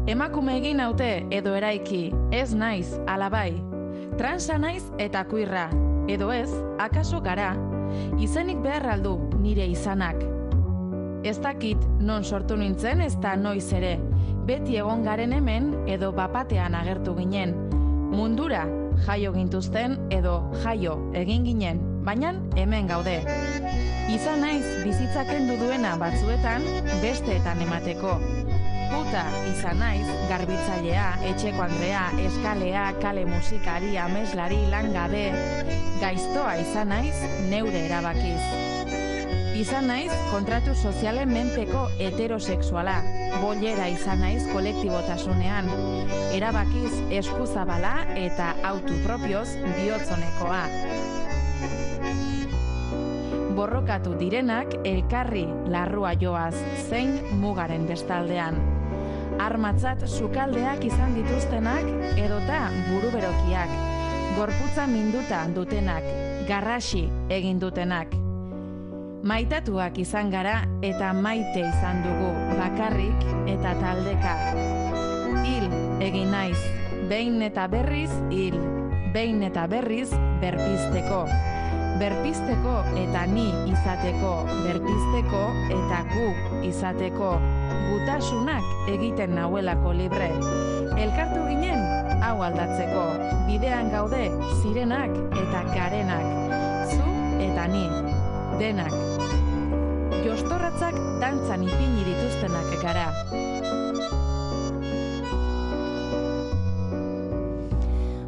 Emakume egin naute edo eraiki, ez naiz, alabai. Transa naiz eta kuirra, edo ez, akaso gara. Izenik behar aldu nire izanak. Ez dakit non sortu nintzen ez da noiz ere. Beti egon garen hemen edo bapatean agertu ginen. Mundura jaio gintuzten edo jaio egin ginen, baina hemen gaude. Izan naiz bizitza kendu duena batzuetan besteetan emateko. Puta izan naiz garbitzailea, etxeko andrea, eskalea, kale musikari, ameslari, langabe. Gaiztoa izan naiz neure erabakiz. Izan naiz kontratu sozialen menpeko heterosexuala. Bollera izan naiz kolektibotasunean. Erabakiz eskuzabala eta autopropioz bihotzonekoa. Borrokatu direnak elkarri larrua joaz, zein mugaren bestaldean. Armatzat sukaldeak izan dituztenak edota buruberokiak. Gorputza minduta dutenak, garrasi egin dutenak. Maitatuak izan gara eta maite izan dugu bakarrik eta taldeka. Hil egin naiz, behin eta berriz hil, behin eta berriz berpizteko. Berpizteko eta ni izateko, berpizteko eta gu izateko. Gutasunak egiten nauelako libre. Elkartu ginen, hau aldatzeko. Bidean gaude, zirenak eta garenak. Zu eta ni, denak. Jostorratzak dantzan ipini dituztenak gara.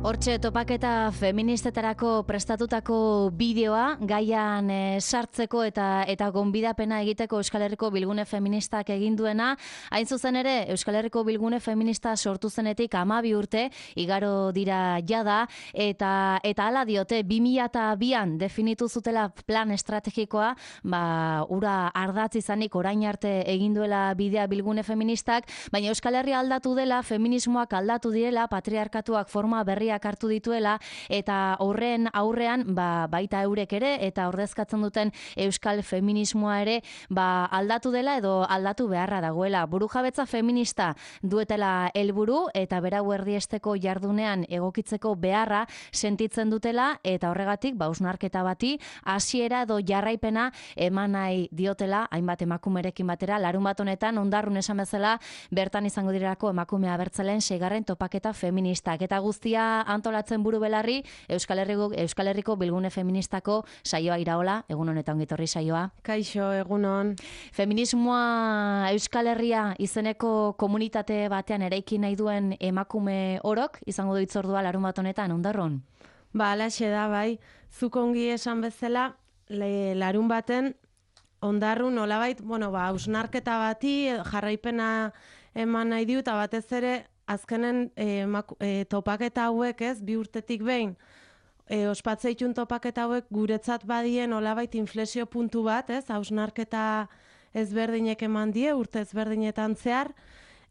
Hortxe topaketa feministetarako prestatutako bideoa gaian sartzeko eta gonbidapena egiteko Euskal Herriko Bilgune Feministak egin duena. Hain zuzen ere, Euskal Herriko Bilgune Feminista sortu zenetik 12 urte igaro dira jada eta hala diote 2002an definitu zutela plan estrategikoa, ura ardatz izanik orain arte egin duela bidea Bilgune Feministak, baina Euskal Herria aldatu dela, feminismoak aldatu direla, patriarkatuak forma berriak hartu dituela eta horren aurrean baita eurek ere eta ordezkatzen duten euskal feminismoa ere aldatu dela edo aldatu beharra dagoela. Burujabetza feminista duetela helburu eta berau erdiesteko jardunean egokitzeko beharra sentitzen dutela eta horregatik hausnarketa bati hasiera edo jarraipena eman nahi diotela hainbat emakumerekin batera. Larunbat honetan Ondarrun esan bezala bertan izango direlako emakume abertzaleen 6. topaketa feministak eta guztia antolatzen buru belarri Euskal Herriko Bilgune Feministako saioa Iraola, egun honetan ongitorri saioa. Kaixo, egunon. Feminismoa Euskal Herria izeneko komunitate batean eraiki nahi duen emakume orok izango du hitzordua larunbat honetan Ondarrun. Halaxe da bai, zuk ongi esan bezala larun baten Ondarrun nolabait, hausnarketa bati jarraipena eman nahi diu eta batez ere azkenen topaketa hauek, ez, 2 urtetik behin, ospatzeitun topaketa hauek guretzat badien olabait inflexio puntu bat, ez, hausnarketa ezberdinek eman die, urte ezberdinetan zehar,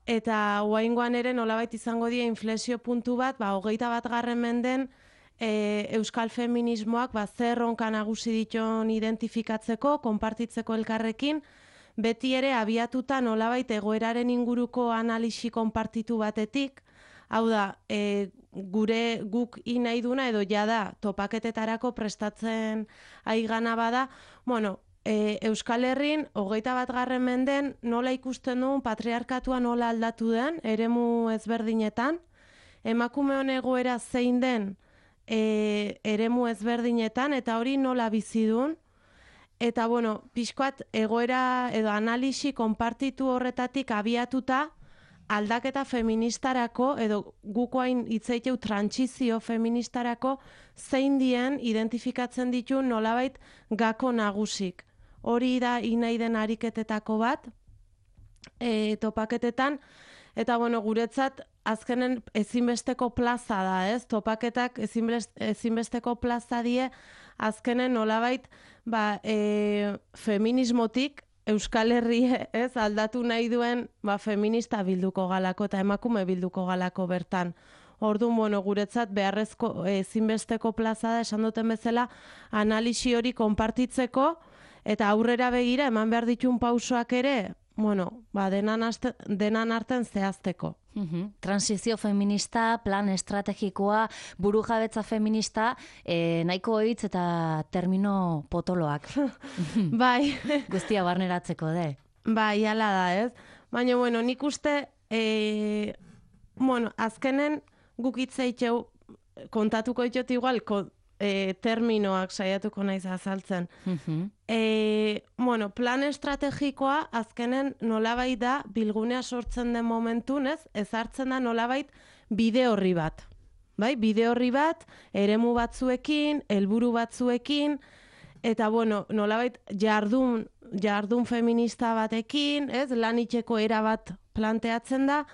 eta oraingoan ere nolabait izango die inflexio puntu bat, 21. menden euskal feminismoak zer erronka nagusi dituen identifikatzeko, konpartitzeko elkarrekin, beti ere abiatuta nolabait egoeraren inguruko analisi konpartitu batetik, hau da, guk nahi duna edo jada topaketetarako prestatzen aigana bada, Euskal Herrin 21. menden nola ikusten duen patriarkatua nola aldatu den, eremu ezberdinetan, emakume hon egoera zein den eremu ezberdinetan, eta hori nola bizi duen, eta, pixkoat egoera edo analisi konpartitu horretatik abiatuta aldaketa feministarako edo gukoain hitzeiteu trantsizio feministarako zein dien identifikatzen ditu nolabait gako nagusik. Hori da nahi den ariketetako bat topaketetan, eta guretzat azkenen ezinbesteko plaza da, ez? Topaketak ezinbesteko plaza die azkenen nolabait feminismotik Euskal Herria, ez, aldatu nahi duen feminista bilduko galako eta emakume bilduko galako bertan. Orduan, guretzat beharrezko ezinbesteko plaza da, esan duten bezala, analisi hori konpartitzeko eta aurrera begira eman behar ditun pausoak ere, denan arten zehazteko. Transizio feminista, plan estrategikoa, burujabetza feminista, nahiko hitz eta termino potoloak. Bai. Guztia barneratzeko, Bai, hala da, ez? Baina, nik uste, azkenen guk itzeitxeu kontatuko itxot igual, terminoak saiatuko naiz azaltzen. Plan estrategikoa azkenen nolabait da bilgunea sortzen den momentun, ezartzen da nolabait bide horri bat. Bai, bide horri bat, eremu batzuekin, helburu batzuekin, eta nolabait jardun feminista batekin, lan itxeko era bat planteatzen da,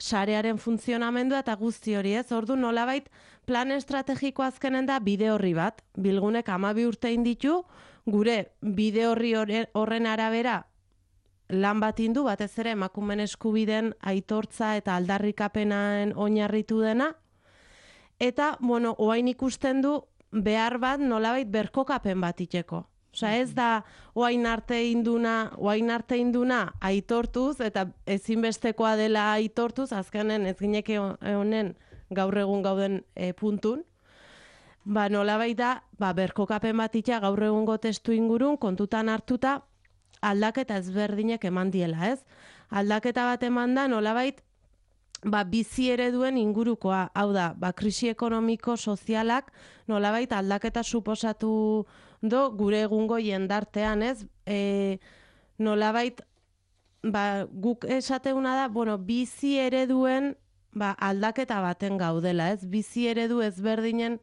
sarearen funtzionamendua eta guzti hori, Ordu nolabait plan estrategiko azkenen da bide horri bat. Bilgunek 12 urte ditu, gure bide horri horren arabera lan bat indu, batez ere emakumeen eskubideen aitortza eta aldarrikapenaen oinarritu dena. Eta, oain ikusten du behar bat nolabait berkokapen bat itxeko. Ez da oain arte induna aitortuz, eta ezinbestekoa dela aitortuz, azkenen ez gineke honen gaur egun gauden puntun. Nolabait da, berkokapen bat itxa gaur egungo testu ingurun, kontutan hartuta, aldaketa ezberdinek eman diela, Aldaketa bat eman da, nolabait, bizi ereduen ingurukoa, hau da, krisi ekonomiko sozialak nolabait aldaketa suposatu do gure egungo jendartean, nolabait, guk esateuna da, bizi ereduen aldaketa baten gaudela, bizi eredu ezberdinen,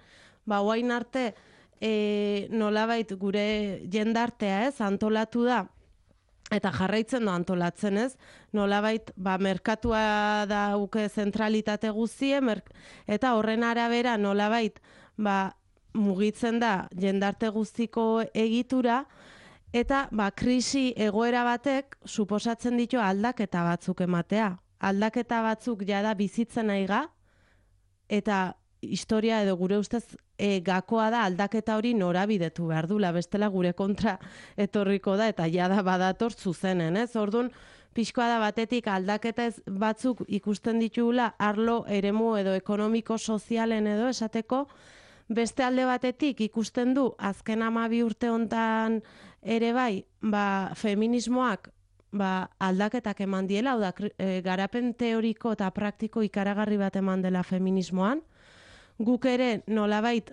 oain arte nolabait gure jendartea, antolatu da, eta jarraitzen do antolatzen, nolabait, merkatua dauke zentralitate guztie, eta horren arabera nolabait, mugitzen da jendarte guztiko egitura, eta krisi egoera batek suposatzen ditu aldaketa batzuk ematea. Aldaketa batzuk jada bizitzen aiga, eta historia edo gure ustez gakoa da aldaketa hori norabidetu behar dula, bestela gure kontra etorriko da, eta jada badator zuzenen, Orduan, pixkoa da batetik aldaketa batzuk ikusten ditugula arlo eremu edo ekonomiko sozialen edo esateko, beste alde batetik ikusten du azken 12 urte hontan ere bai, feminismoak aldaketak eman diela, hau da, garapen teoriko eta praktiko ikaragarri bat eman dela feminismoan. Guk ere nolabait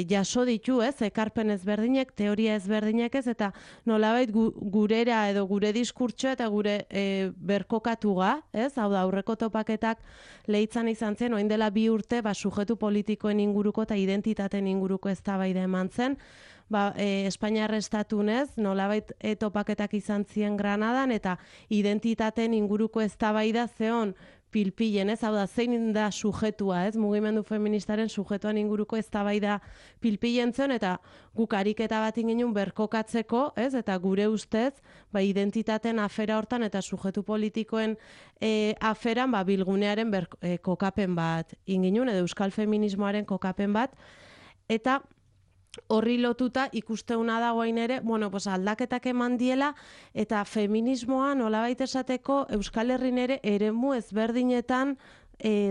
jaso ditu, ekarpen ezberdinek, teoria ezberdinek eta nolabait gurera edo gure diskurtsoa eta gure berkokatuga, hau da, aurreko topaketak lehitzan izan zen, oin dela 2 urte, sujetu politikoen inguruko eta identitateen inguruko eztabaida eman zen, Espainiar estatunez, nolabait topaketak izan ziren Granadan, eta identitateen inguruko eztabaida zeon pilpilen, hau da, zein da sujetua, mugimendu feministaren sujetuan inguruko eztabaida pilpilen zen, eta guk ariketa bat ingin berkokatzeko, eta gure ustez, identitateen afera hortan eta sujetu politikoen aferan, bilgunearen kokapen bat ingin, edo euskal feminismoaren kokapen bat, eta horri lotuta ikusteuna da guain ere, aldaketak eman diela, eta feminismoa nolabait esateko Euskal Herrin ere eremu ezberdinetan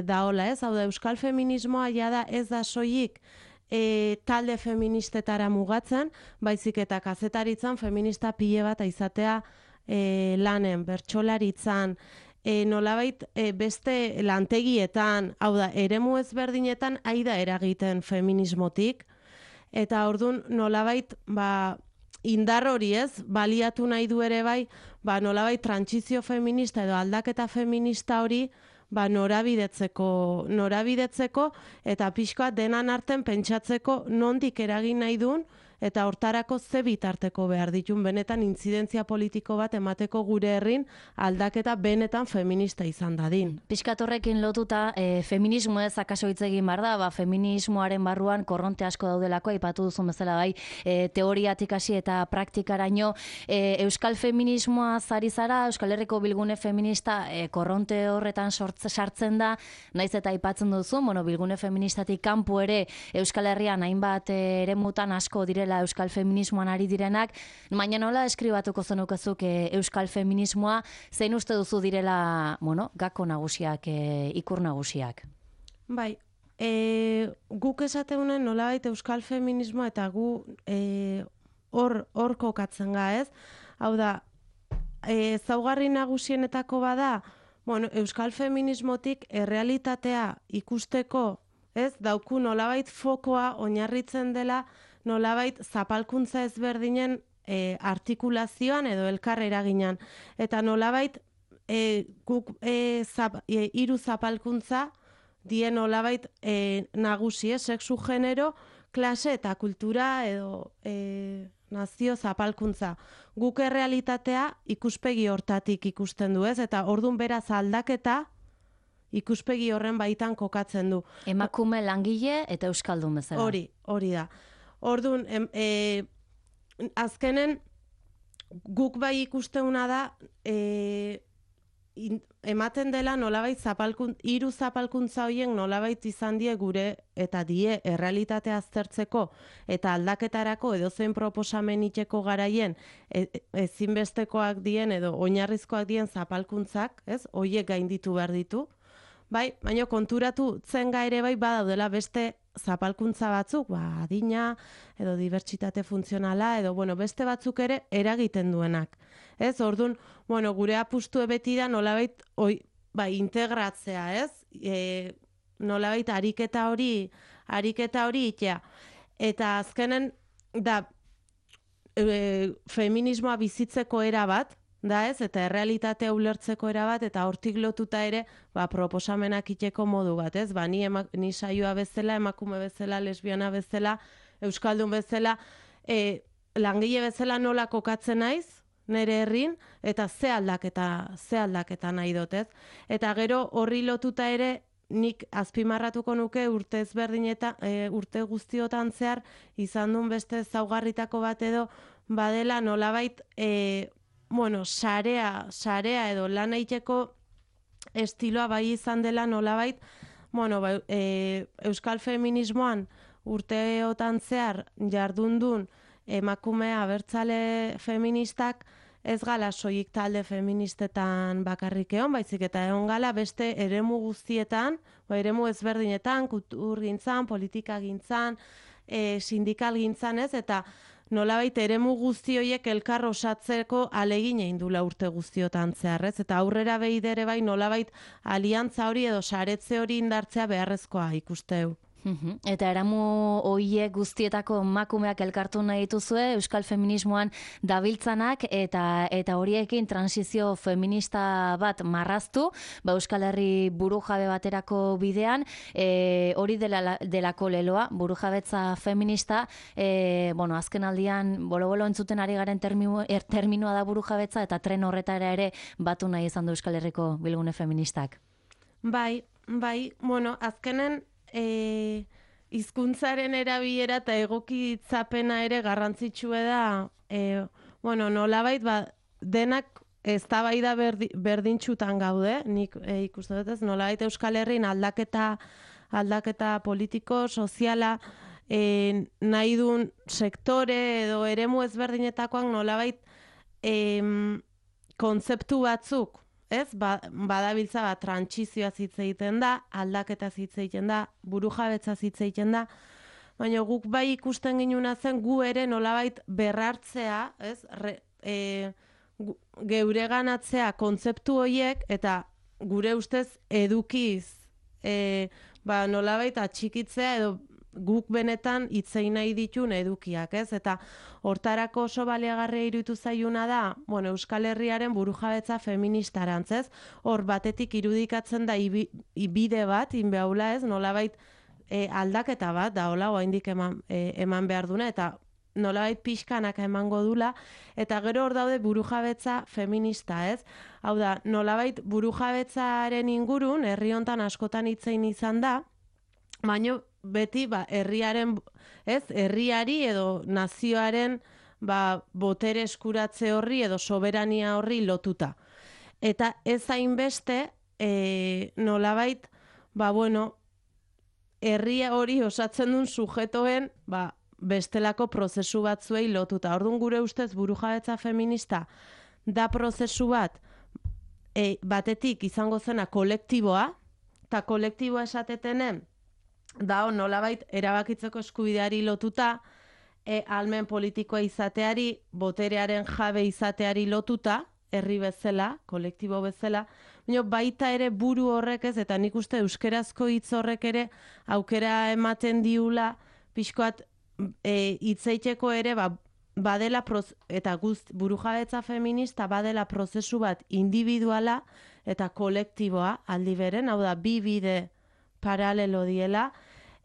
daola, hau da, Euskal feminismoa jada ez da soilik talde feministetara mugatzen, baizik eta kazetaritzan feminista pile bat izatea lanen, bertsolaritzan, nolabait beste lantegietan, hau da, eremu ezberdinetan aida eragiten feminismotik, eta orduan nolabait indar hori baliatu nahi du ere bai, nolabait trantsizio feminista edo aldaketa feminista hori norabidetzeko eta pixkoa denan arten pentsatzeko nondik eragin nahi duen, eta hortarako ze bitarteko behar ditun benetan intzidentzia politiko bat emateko gure herrin aldaketa benetan feminista izan dadin. Pixkat horrekin lotuta, feminismo ez akaso hitz egin behar da, feminismoaren barruan korronte asko daudelako, aipatu duzun bezala bai, teoriatik hasi eta praktikaraino, euskal feminismoa zari zara, Euskal Herriko bilgune feminista korronte horretan sartzen da, naiz eta aipatzen duzu, bilgune feministatik kanpo ere Euskal Herrian hainbat eremutan asko direla direla euskal feminismoan ari direnak, baina nola eskribatuko zenukezuk euskal feminismoa, zein uste duzu direla, gako nagusiak, ikur nagusiak? Bai, guk esateunen nolabait euskal feminismoa eta gu hor kokatzen ga, ez? Hau da, ezaugarri nagusienetako bada, euskal feminismotik errealitatea ikusteko, ez, dauku nolabait fokoa oinarritzen dela nolabait zapalkuntza ezberdinen artikulazioan edo elkar eraginan. Eta nolabait guk hiru zapalkuntza die nolabait nagusi, sexu, genero, klase eta kultura edo nazio zapalkuntza. Guk errealitatea ikuspegi hortatik ikusten du, ez? Eta ordun beraz aldaketa ikuspegi horren baitan kokatzen du. Emakume, langile eta euskaldun bezala. Hori da. Ordun azkenen guk bai ikusteuna da ematen dela nolabait hiru zapalkuntza horien nolabait izan die gure eta die errealitatea aztertzeko eta aldaketarako edozein proposamen itxeko garaien ezinbestekoak dien edo oinarrizkoak dien zapalkuntzak, ez? Hoiek gainditu behar ditu. Bai, baina konturatu zenga ere bai badaudela beste zapalkuntza batzuk, adina edo dibertsitate funtzionala edo beste batzuk ere eragiten duenak. Ez, ordun, gure apustue beti da nolabait integratzea, ez? Nolabait ariketa hori itea. Eta azkenen da feminismoa bizitzeko era bat, da ez, eta errealitatea ulertzeko era bat, eta hortik lotuta ere proposamenak iteko modu bat, ez? Ni saioa bezala, emakume bezala, lesbiana bezala, euskaldun bezala, langile bezala nola kokatzen naiz, nere herrin, eta ze aldaketa nahi dut, ez? Eta gero horri lotuta ere, nik azpimarratuko nuke urte guztiotan zehar, izan duen beste ezaugarritako bat edo, badela nolabait, sarea edo lan egiteko estiloa bai izan dela nolabait, euskal feminismoan urteotan zehar jardundun emakume abertzale feministak ez gala soilik talde feministetan bakarrik egon, baizik eta egon gala beste eremu guztietan, eremu ezberdinetan, kulturgintzan, politikagintzan, sindikalgintzan, ez, eta nolabait eremu guzti horiek elkar osatzeko ahalegin egin dula urte guztiotan zehar, ez? Eta aurrera behidere bai nolabait aliantza hori edo saretze hori indartzea beharrezkoa ikusteu. Eta eramu horiek guztietako emakumeak elkartu nahi dituzue euskal feminismoan dabiltzanak eta horiekin transizio feminista bat marraztu, Euskal Herri burujabe baterako bidean, hori delako leloa, burujabetza feminista, azken aldian bolo-bolo entzuten ari garen terminoa da burujabetza eta tren horretara ere batu nahi izan du Euskal Herriko bilgune feministak. Bai, azkenen hizkuntzaren erabilera eta egokitzapena ere garrantzitsua da, nolabait denak eztabaida berdintsutan gaude, nik ikusten dut ez, nolabait Euskal Herrin aldaketa politiko, soziala, nahi duen sektore edo eremu ezberdinetakoak nolabait kontzeptu batzuk, ez? Badabiltza trantsizioa hitz egiten da, aldaketa hitz egiten da, burujabetza hitz egiten da, baina guk bai ikusten ginuna zen gu ere nolabait berrartzea, ez? Geureganatzea kontzeptu horiek eta gure ustez edukiz nolabait atxikitzea edo guk benetan hitzein nahi ditun edukiak, ez? Eta hortarako oso baliagarria iruditu zaiuna da, Euskal Herriaren burujabetza feministarantz, ez? Hor batetik irudikatzen da bide bat, inbeaula, ez? Nolabait aldaketa bat, da hola, oraindik eman behar duna, eta nolabait pixkanaka emango dula, eta gero hor daude burujabetza feminista, ez? Hau da, nolabait burujabetzaren ingurun, herri hontan askotan hitzein izan da, baina beti herriaren, ez, herriari edo nazioaren botere eskuratze horri edo soberania horri lotuta. Eta ez hainbeste nolabait, herria hori osatzen duen sujetoen bestelako prozesu batzuei lotuta. Orduan gure ustez burujabetza feminista da prozesu bat batetik izango zena kolektiboa, eta kolektiboa esatetenen da nolabait erabakitzeko eskubideari lotuta, ahalmen politikoa izateari, boterearen jabe izateari lotuta, herri bezala, kolektibo bezala, baina baita ere buru horrek ez, eta nik uste euskerazko hitz horrek ere aukera ematen diula, pixkoat hitzeiteko ere badela, eta burujabetza feminista badela prozesu bat individuala eta kolektiboa aldi beren, hau da, bi bide paralelo diela,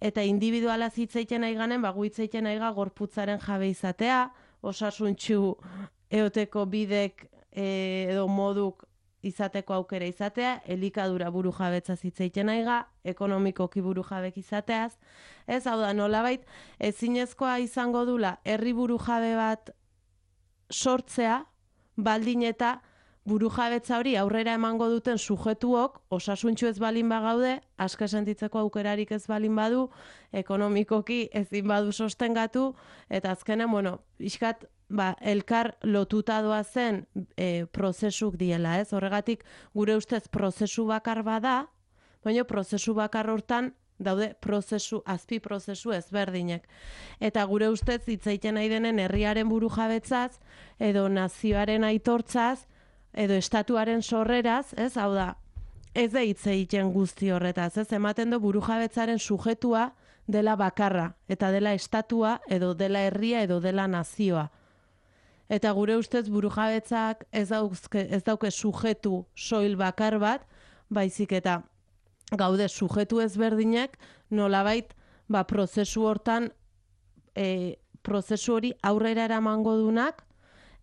eta individuala hitzeiten nahi ganen, hitzeiten nahi gorputzaren jabe izatea, osasuntsu eoteko bidek edo moduk izateko aukera izatea, elikadura burujabetza hitzeiten nahi ekonomikoki burujabek izateaz, ez, hau da, nolabait, ezinezkoa izango dula herri burujabe bat sortzea, baldin eta burujabetza hori aurrera emango duten sujetuok osasuntsu ez balin bagaude, aske sentitzeko aukerarik ez balin badu, ekonomikoki ezin badu sostengatu, eta azkenen, pixkat, elkar lotuta doazen prozesuk diela, ez? Horregatik, gure ustez prozesu bakar bada, baina prozesu bakar hortan daude azpi prozesu ezberdinek. Eta gure ustez hitzeiten nahi denen herriaren burujabetzaz, edo nazioaren aitortzaz, edo estatuaren sorreraz, ez? Hau da, ez da hitz egiten guzti horretaz, ez? Ematen du burujabetzaren sujetua dela bakarra, eta dela estatua, edo dela herria, edo dela nazioa. Eta gure ustez burujabetzak ez dauke sujetu soil bakar bat, baizik eta gaude sujetu ezberdinak nolabait prozesu hortan, prozesu hori aurrera eramango dunak,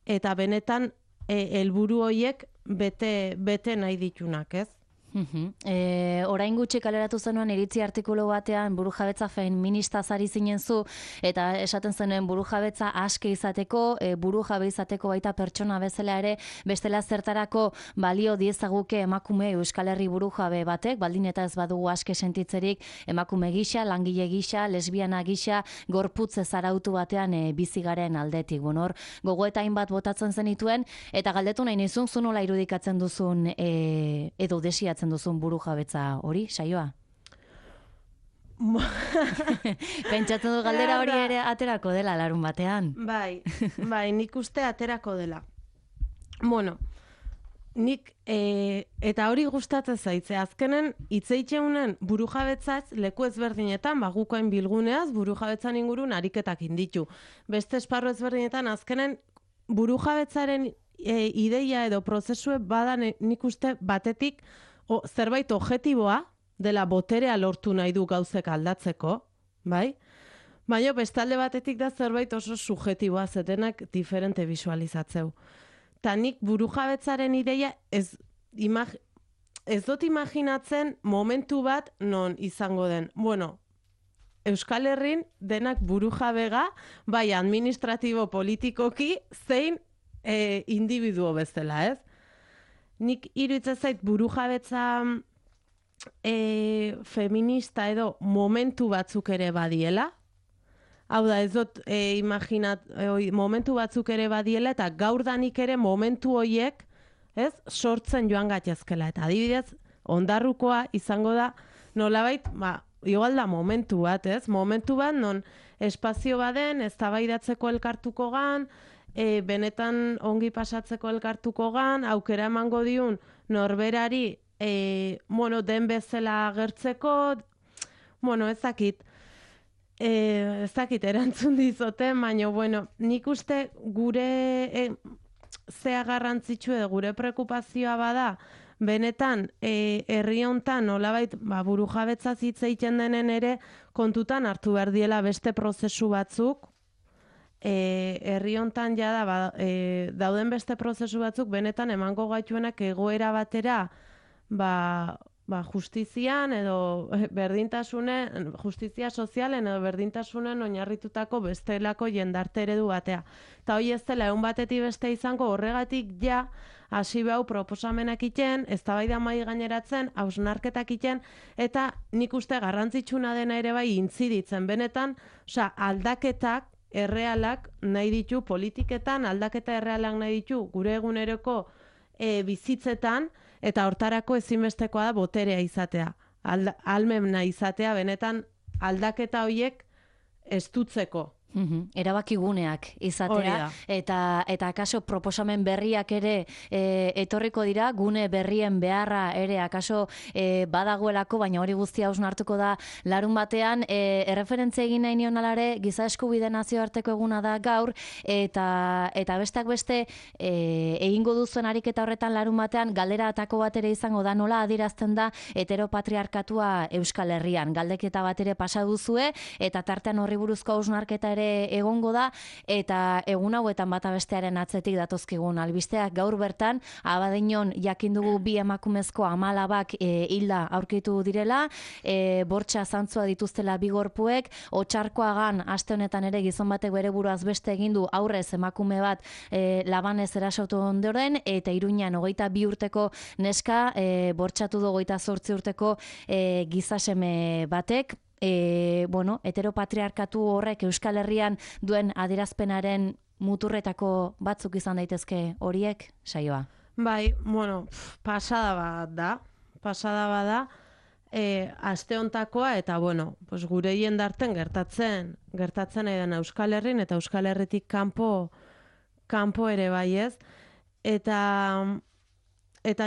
eta benetan helburu horiek bete nahi ditunak, ez? Orain gutxi kaleratu zenuen iritzi artikulu batean burujabetza feminista zari zinen zu, eta esaten zenuen burujabetza aske izateko, burujabe izateko baita pertsona bezala ere, bestela zertarako balio diezaguke emakume Euskal Herri burujabe batek, baldin eta ez badugu aske sentitzerik emakume gisa, langile gisa, lesbiana gisa, gorputze zarautu batean bizigaren aldetik. Hor, gogoeta hainbat botatzen zenituen, eta galdetu nahi nizun, zu nola irudikatzen duzun edo desiatzen duzun burujabetza hori, saioa? Pentsatzen du galdera hori ere aterako dela larun batean. Bai, nik uste aterako dela. Nik, eta hori gustatzen zaitze, azkenen hitzeitxeunen burujabetzaz leku ezberdinetan, gukoen bilguneaz, burujabetzan ingurun ariketak inditu. Beste esparru ezberdinetan, azkenen burujabetzaren ideia edo prozesue badan nik uste batetik zerbait objektiboa dela boterea lortu nahi du gauzek aldatzeko, bai? Baina bestalde batetik da zerbait oso subjektiboa zetenak diferente visualizatzeu. Ta nik burujabetzaren ideia ez dut imaginatzen momentu bat non izango den. Euskal Herrin denak burujabega, bai administratibo politikoki, zein individuo bezala, ez? Nik iruditzen zait burujabetza feminista edo momentu batzuk ere badiela. Hau da, ez dut momentu batzuk ere badiela, eta gaurdanik ere momentu horiek, ez, sortzen joan gatezkela. Eta adibidez, ondarrukoa izango da, nolabait, igual da momentu bat, ez? Momentu bat, non espazio baden, eztabaidatzeko elkartuko gan, benetan ongi pasatzeko elkartuko gan, aukera emango diun norberari den bezala agertzeko, ezakit erantzun dizoten, baina, nik uste gure zea garrantzitsu edo gure preokupazioa bada, benetan herri hontan nolabait burujabetzaz hitz egiten denen ere kontutan hartu behar diela beste prozesu batzuk, herri hontan jada dauden beste prozesu batzuk benetan emango gaituenak egoera batera justizian edo justizia sozialen edo berdintasunen oinarritutako bestelako jendarte eredu batea. Eta hoi ez dela egun batetik beste izango horregatik ja hasi behau proposamenak iten, eztabaida mai gaineratzen, hausnarketak iten, eta nik uste garrantzitsuna dena ere bai intziditzen. Benetan, aldaketak errealak nahi ditu politiketan, aldaketa errealak nahi ditu gure eguneroko bizitzetan, eta hortarako ezinbestekoa da boterea izatea. Almena izatea, benetan aldaketa horiek estutzeko. Erabakiguneak izatea, eta akaso proposamen berriak ere etorriko dira, gune berrien beharra ere akaso badagoelako, baina hori guztia hausnartuko da larun batean. Erreferentzia egin nahi nion alare, giza eskubide nazioarteko eguna da gaur, eta besteak beste egingo duzuen ariketa horretan larun batean, galdera atako bat ere izango da, nola adierazten da heteropatriarkatua Euskal Herrian. Galdeketa bat ere pasa duzue, eta tartean horri buruzko hausnarketa ere egongo da, eta egun hauetan bata bestearen atzetik datozkigun albisteak. Gaur bertan, Abadiñon jakin dugu 2 emakumezko amalabak hilda aurkitu direla, bortxa zantzua dituztela 2 gorpuek, Otxarkoagan aste honetan ere gizon batek bere buruaz beste egin du aurrez emakume bat labanez erasotu ondoren, eta Iruñan 22 urteko neska bortxatu du 28 urteko gizaseme batek. Heteropatriarkatu horrek Euskal Herrian duen adierazpenaren muturretako batzuk izan daitezke horiek, Saioa? Bai, pasada bat da, aste hontakoa, eta gure jendarten gertatzen edan Euskal Herrin, eta Euskal Herritik kanpo ere bai ez, eta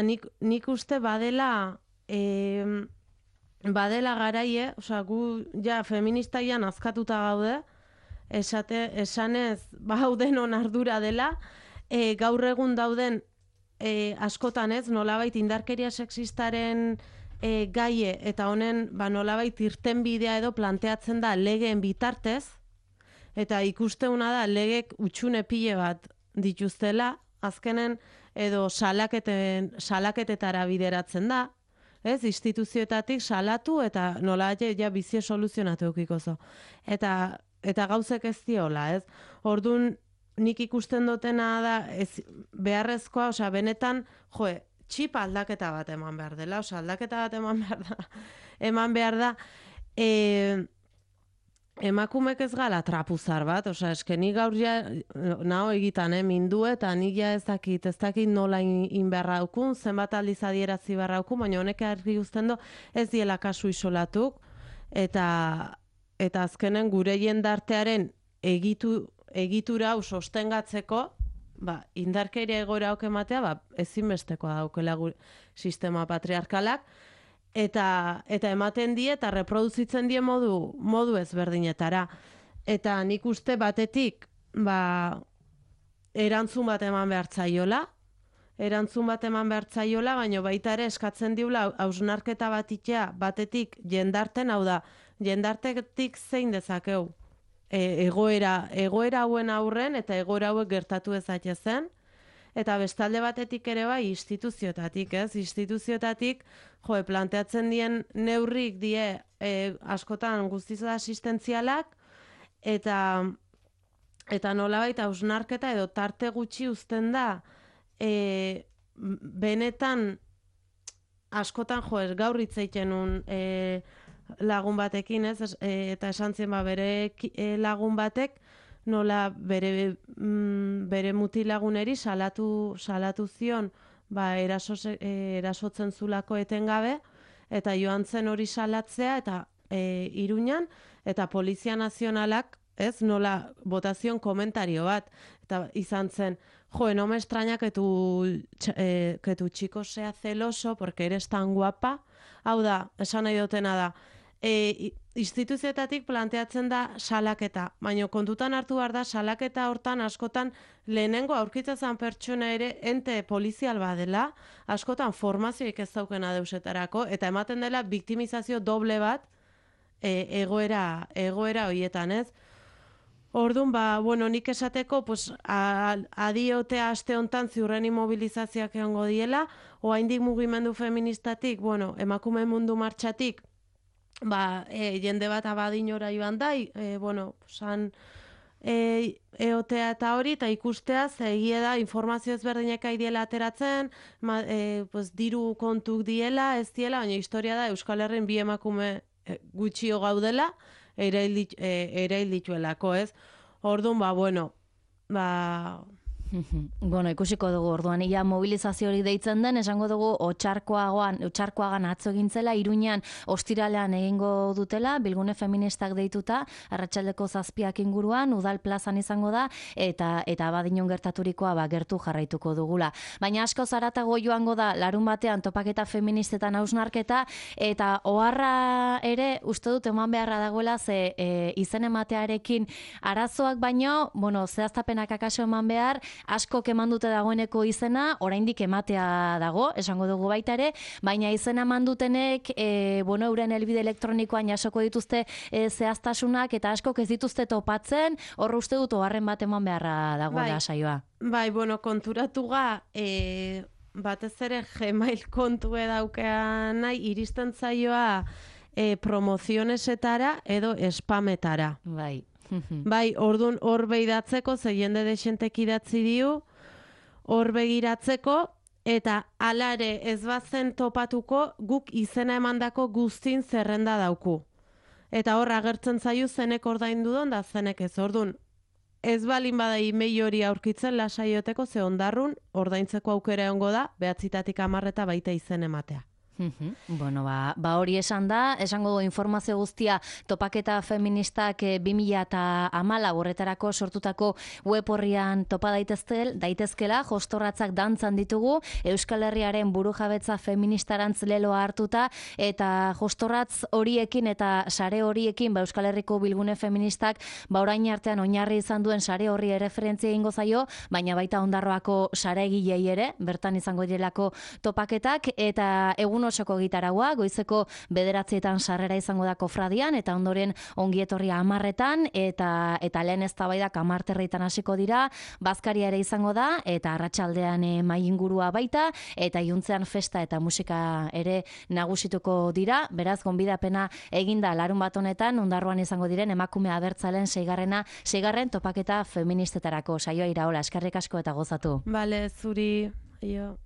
nik uste badela garaie, gu ja feministaian azkatuta gaude, esanez denon ardura dela, gaur egun dauden askotan ez, nolabait indarkeria sexistaren gaie, eta honen nolabait irtenbidea edo planteatzen da legeen bitartez, eta ikusteuna da legek utxune pile bat dituztela, azkenen edo salaketetara bideratzen da, ez, instituzioetatik salatu eta nola ja bizie soluzionatu eukiko zo. Eta gauzek ez diola, ez? Orduan, nik ikusten dutena da, beharrezkoa, benetan, txip aldaketa bat eman behar dela, aldaketa bat eman behar da, emakumek ez gala trapuzar bat, nik gaur ja naho egitan mindu, eta nik ja ez dakit nola inberra daukun, zenbat aldiz adierazi barra daukun, baina honek argi uzten du ez diela kasu isolatuk, eta azkenen gure jendartearen egitura hau sostengatzeko, indarkeria egoera hau ematea, ezinbestekoa daukela sistema patriarkalak, eta ematen die eta reproduzitzen die modu ezberdinetara. Eta nik uste batetik erantzun bat eman behar zaiola, baina baita ere eskatzen diula hausnarketa batetik jendarten, hau da, jendartetik zein dezakeu egoera hauen aurren eta egoera hauek gertatu ezatezen. Eta bestalde batetik ere bai instituzioetatik, ez? Instituzioetatik, planteatzen dien neurrik die askotan guztiz asistentzialak, eta nolabait hausnarketa edo tarte gutxi uzten da, benetan askotan gaur hitz egiten un lagun batekin, ez? Eta esan zien bere lagun batek, nola bere mutilaguneri salatu zion erasotzen zulako etengabe, eta joan zen hori salatzea, eta Iruñan, eta Polizia Nazionalak, ez, nola botazion komentario bat, eta izan zen, no me extraña que tu chico sea celoso porque eres tan guapa. Hau da, esan nahi dutena da, instituzioetatik planteatzen da salaketa, baina kontutan hartu behar da salaketa hortan askotan lehenengo aurkitzen pertsona ere ente polizial badela, askotan formazioik ez daukena deusetarako, eta ematen dela biktimizazio doble bat egoera horietan, ez? Orduan, bueno, nik esateko, pues, adiotea aste hontan ziurren imobilizazioak egongo diela, oraindik mugimendu feministatik, bueno, emakume mundu martxatik, jende bat abadinora joan da, bueno, san, eotea eta hori, eta ikustea, egia da, informazio ezberdinek diela ateratzen, pues, diru kontuk diela, ez diela, baina historia da, Euskal Herrin bi emakume gutxio gaudela, erail dituelako, ez? Orduan, bueno, Bueno, ikusiko dugu orduan, ia mobilizazio hori deitzen den, esango dugu otxarkoagan atzo egintzela, Iruñan ostiralean egingo dutela, bilgune feministak deituta, arratsaldeko 7 inguruan, udal plazan izango da, eta badinon gertaturikoa gertu jarraituko dugula. Baina asko zaratago joango da, larun batean topaketa feministetan hausnarketa, eta oharra ere, uste dut eman beharra dagoela, ze izen ematearekin arazoak baino, bueno, zehaztapenak akaso eman behar, asko eman dute dagoeneko izena, oraindik ematea dago, esango dugu baita ere, baina izena eman dutenek, bueno, euren helbide elektronikoan jasoko dituzte zehaztasunak, eta asko ez dituzte topatzen, hor uste dut oharren bat eman beharra dagoela saioa. Bai, bueno, konturatuga, batez ere Gmail kontue daukean nahi, iristen zaioa promozionesetara edo spametara. Bai. Bai, orduan hor behidatzeko, ze jende desentek idatzi diu, hor begiratzeko, eta alare ez bazen topatuko, guk izena emandako guztin zerrenda dauku. Eta hor agertzen zaio zenek ordaindu don, da zenek ez. Orduan, ez balin bada email hori aurkitzen lasaioteko, ze ondarrun ordaintzeko aukera egongo da, 9-10 eta baita izen ematea. Bueno, hori esan da, esango du informazio guztia topaketa feministak 2014 horretarako sortutako web horrian topa daitezkela, jostorratzak dantzan ditugu, Euskal Herriaren burujabetza feministarantz leloa hartuta, eta jostorratz horiekin eta sare horiekin, Euskal Herriko bilgune feministak, orain artean oinarri izan duen sare horri erreferentzia egingo zaio, baina baita Ondarroako sare egilei ere, bertan izango direlako topaketak, eta egun osoko gitaraua, goizeko 9 sarrera izango da kofradian, eta ondoren ongietorria 10 eta lehen eztabaidak 10 hasiko dira, bazkaria ere izango da, eta arratsaldean mahai ingurua baita, eta iluntzean festa eta musika ere nagusituko dira, beraz, gonbidapena eginda larun bat honetan, Ondarroan izango diren emakume abertzalen 6. topaketa feministetarako saioa Iraola, eskerrik asko eta gozatu. Bale, zuri, jo.